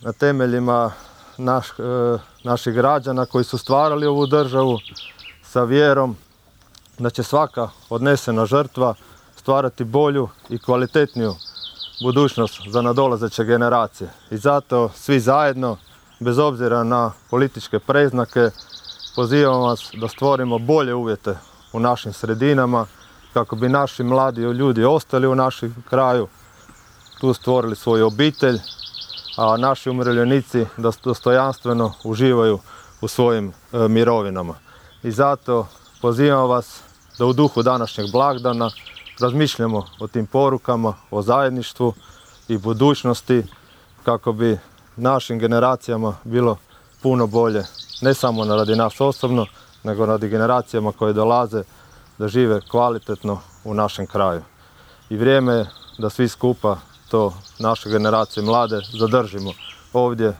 na temeljima naših građana koji su stvarali ovu državu sa vjerom da će svaka odnesena žrtva stvarati bolju i kvalitetniju budućnost za nadolazeće generacije. I zato svi zajedno, bez obzira na političke predznake, pozivam vas da stvorimo bolje uvjete u našim sredinama kako bi naši mladi ljudi ostali u našem kraju, tu stvorili svoju obitelj, a naši umirovljenici da dostojanstveno uživaju u svojim mirovinama. I zato pozivam vas da u duhu današnjeg blagdana razmišljamo o tim porukama, o zajedništvu i budućnosti kako bi našim generacijama bilo puno bolje, ne samo radi nas osobno, nego radi generacijama koje dolaze da žive kvalitetno u našem kraju. I vrijeme je da svi skupa to, naše generacije mlade, zadržimo ovdje